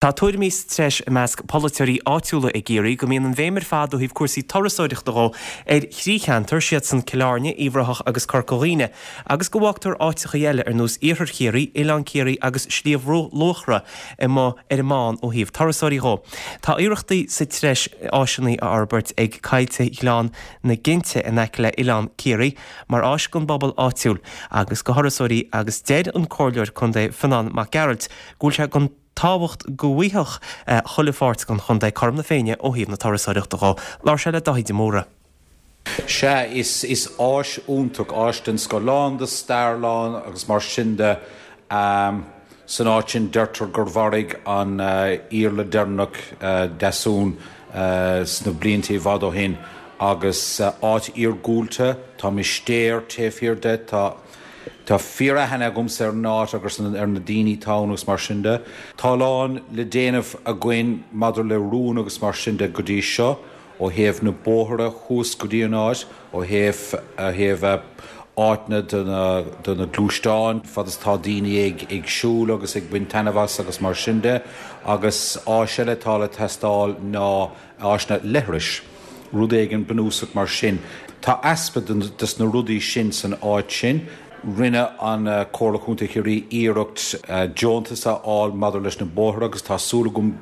Tá tuairimí sa treis i measc polaiteoirí áitiúla i gCiarraí go mbíonn an bhéim ar fad ó thaobh cúrsaí turasóireachta dhó ar thrí cheantar, siadsan Cill Airne, Uíbh Ráthach agus Corca Dhuibhne, agus go bhfágtar áiteachaí eile ar nós Iarthar Chiarraí, Oileán Ciarraí agus Sliabh Luachra amuigh ar an mbán ó thaobh turasóirí dhó. Tá iarrachtaí sa treis áiseanna a fhorbairt ag Coillte Ghleann na Ginte in aice le Oileán Ciarraí mar áis don bpobal áitiúil agus do thurasóirí agus deir an Comhairleoir Contae Fionán Mac Gearailt go bhfuil sé den tábhacht go bhfaigheadh chuile pháirt den chontae cothrom na Féinne ó thaobh na turasóireachta dhó. Labhair sé le Dáithí de Mórdha. Sea, is is áis iontach, áis den scoth, lán de stair, lán agus mar sin de. San áit sin deirtear gur mharaigh an Iarla deireanach Deasún sna blianta i bhfad ó shin agus áit iargúlta, tá mistéir taobh thiar de, tá. Tá fíor-aithne agamsa ar an áit agus ar na daoine atá ann agus mar sin de. Tá a lán le déanamh againn maidir le rún agus mar sin de go dtí seo, ó thaobh na bóithre thuas go dtí an áit, ó thaobh ó thaobh áiteanna do na do na gluaisteáin fad is atá daoine ag ag siúl agus ag baint taitneamh as agus mar sin de. Agus áis eile atá le teastáil ná áiseanna leithris, rud éigin bunúsach mar sin. Tá easpa des na rudaí sin san áit sin. Rinne an Comhairle Chontae Chiarraí iarracht deontas a fháil maidir leis na bóithre agus tá súil agam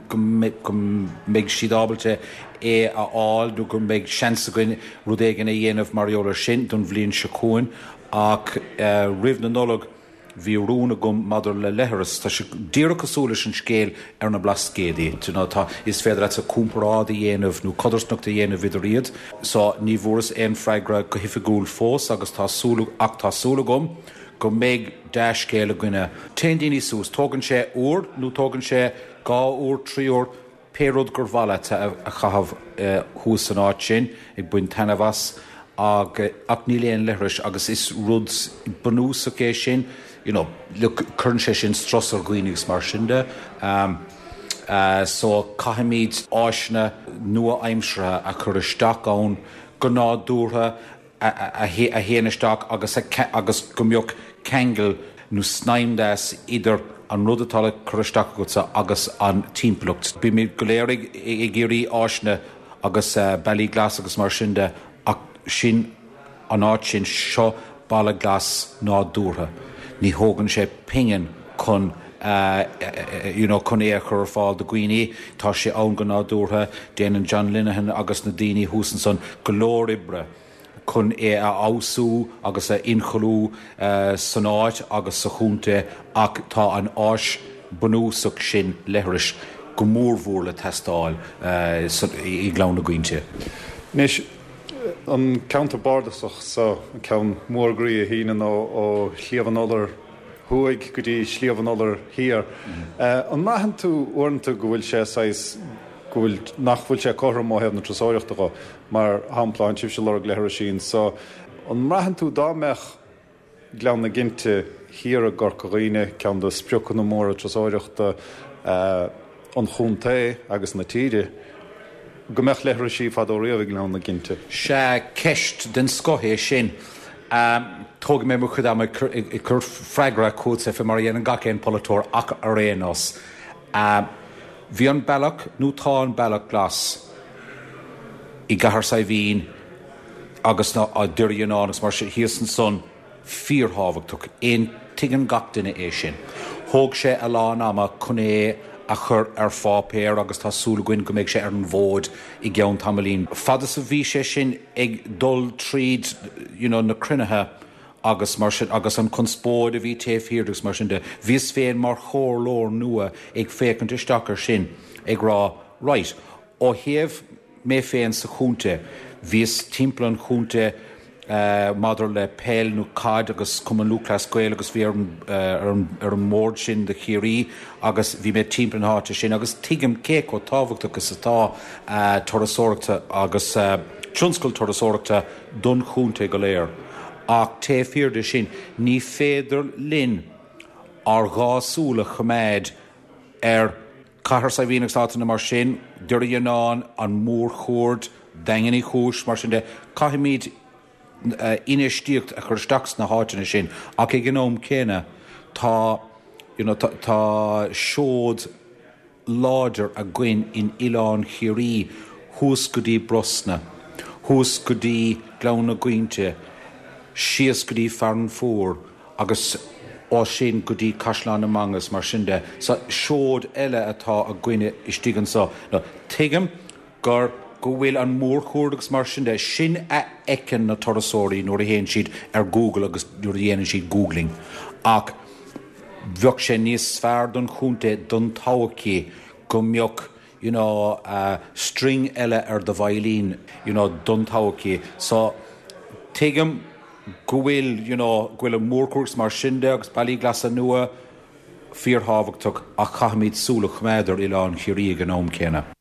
go mbeidh siad ábalta é a fháil nó go mbeidh seans againn rud éigin a dhéanamh mar gheall ar sin don bhliain seo chugainn ach roimh na Nollag Bhí rún agam maidir le leithreas. Tá sé díreach cosúil leis an scéal ar na Blascaodaí. Do you know, tá, is féidir leatsa comparáid a dhéanamh nó codarsnacht a dhéanamh idir iad. So, ní bhfuaireas aon freagra go hoifigiúil fós agus tá súil, ach tá súil agam go mbeidh dea-scéal againne. Téann daoine suas, tógann sé uair nó tógann sé dhá uair, trí uair, Pé rud gur mhaith leat a chaitheamh thuas san áit sin, ag baint taitneamh as, ach níl aon leithris agus is rud bunúsach é sin, you know, look, cuireann sé sin strus ar dhaoine agus mar sin de. So caithfimid áiseanna nua-aimseartha a chur isteach ann go nádúrtha, a théann isteach agus agus go mbeadh ceangal nó snaidhm deas idir an rud atá le cur isteach agatsa agus an timpeallacht. Bímid go léir ag iarraidh áiseanna agus bealaí glas agus mar sin de ach sin an áit sin, seo baile glas nádúrtha. Ní thógann sé pingin chun you know chun é a chur ar fáil do dhaoine. Tá sé ann go nádúrtha. Déanann John Linehan agus na daoine thuas ansan go leor oibre chun é a fheabhsú agus a ionchollú san áit agus sa chontae ach tá an áis bunúsach sin, leithris, go mórmhór le teastáil i nGleann na Ginte. Anois, an ceantar bardasach so, an ceann mór groí a shíneann ó Shliabh an Fholair Thuaidh go dtí Sliabh an Fholair Thiar, an mbraitheann tú uaireanta go bhfuil sé saghas, go bhfuil, nach bhfuil sé cothrom ó thaobh na turasóireachta dho? Mar shampla, tánn sibhse ag lorg leithrisí anso, an mbraitheann tú dá mbeadh Gleann na Ginte thiar i gCorca Dhuibhne, ceann de spriocanna móra turasóireachta an chontae agus na tíre, go mbeadh leithrisí fadó riamh i nGleann na Ginte? Sea, ceist den scoth é sin. Tógfaidh mé mo chuid ama ag cur freagra chugatsa, fé mar a dhéanann gach aon pholaiteoir, ach ar aon nós, bhí an bealach, nó tá an bealach glas i gCathair Saidhbhín agus Doire Fhíonáin agus mar sin thíos ansan, fíorthábhachtach. Tuigeann gach duine é sin. Thóg sé a lán ama chun é a chur ar pháipéar agus tá súil againn go mbeidh sé ar an bhfód i gceann tamaillín. Fad is a bhí sé sin ag dul tríd you know na cruinnithe agus mar sin agus an conspóid a bhí taobh thiar de agus mar sin de, bhíos féin mar chomhairleoir nua ag féachaint isteach air sin ag rá right, ó thaobh Mé féin sa chontae, bhíos timpeall an chontae maidir le peil nó caid agus Cumann Lúthchleas Gael agus bhí ar ar an mbord sin do Chiarraí agus bhí mé timpeall na háite sin agus tuigim cé chomh tábhachtach is atá turasóireachta agus tionscal turasóireachta don chontae go léir. Ach taobh thiar de sin, ní féidir linn ár dhá súil a choimeád ar Cathair Saidhbhín agus áiteanna mar sin, Doire Fhíonáin, an Mhórchuaird, Daingean Uí Chúis, mar sin de. Caithfimid infheistíocht a chur isteach sna háiteanna sin ach ag an am céanna tá you know tá seod. láidir againn in Oileán Chiarraí thuas go dtí Brosna, thuas go dtí Gleann na Gainte, síos go dtí Fearann Fuar agus ó sin go dtí Caisleán na Manga is mar sin de. So seoid eile atá againne istigh anso. Now tuigim gur go bhfuil an mórchuaird agus mar sin de, sin a fheiceann na turasóirí nuair a théann siad ar Google agus nuair a dhéanann siad googling. Ach bheadh sé níos fearr don chontae don todhchaí go mbeadh you know string eile ar do veidhlín you know don todhchaí. So tuigim go bhfuil you know go bhfuil an mórchuaird agus mar sin de agus bealaí glasa nua fíorthábhachtach ach caithfimid súil a choimeád ar Oileán Chiarraí ag an am céanna.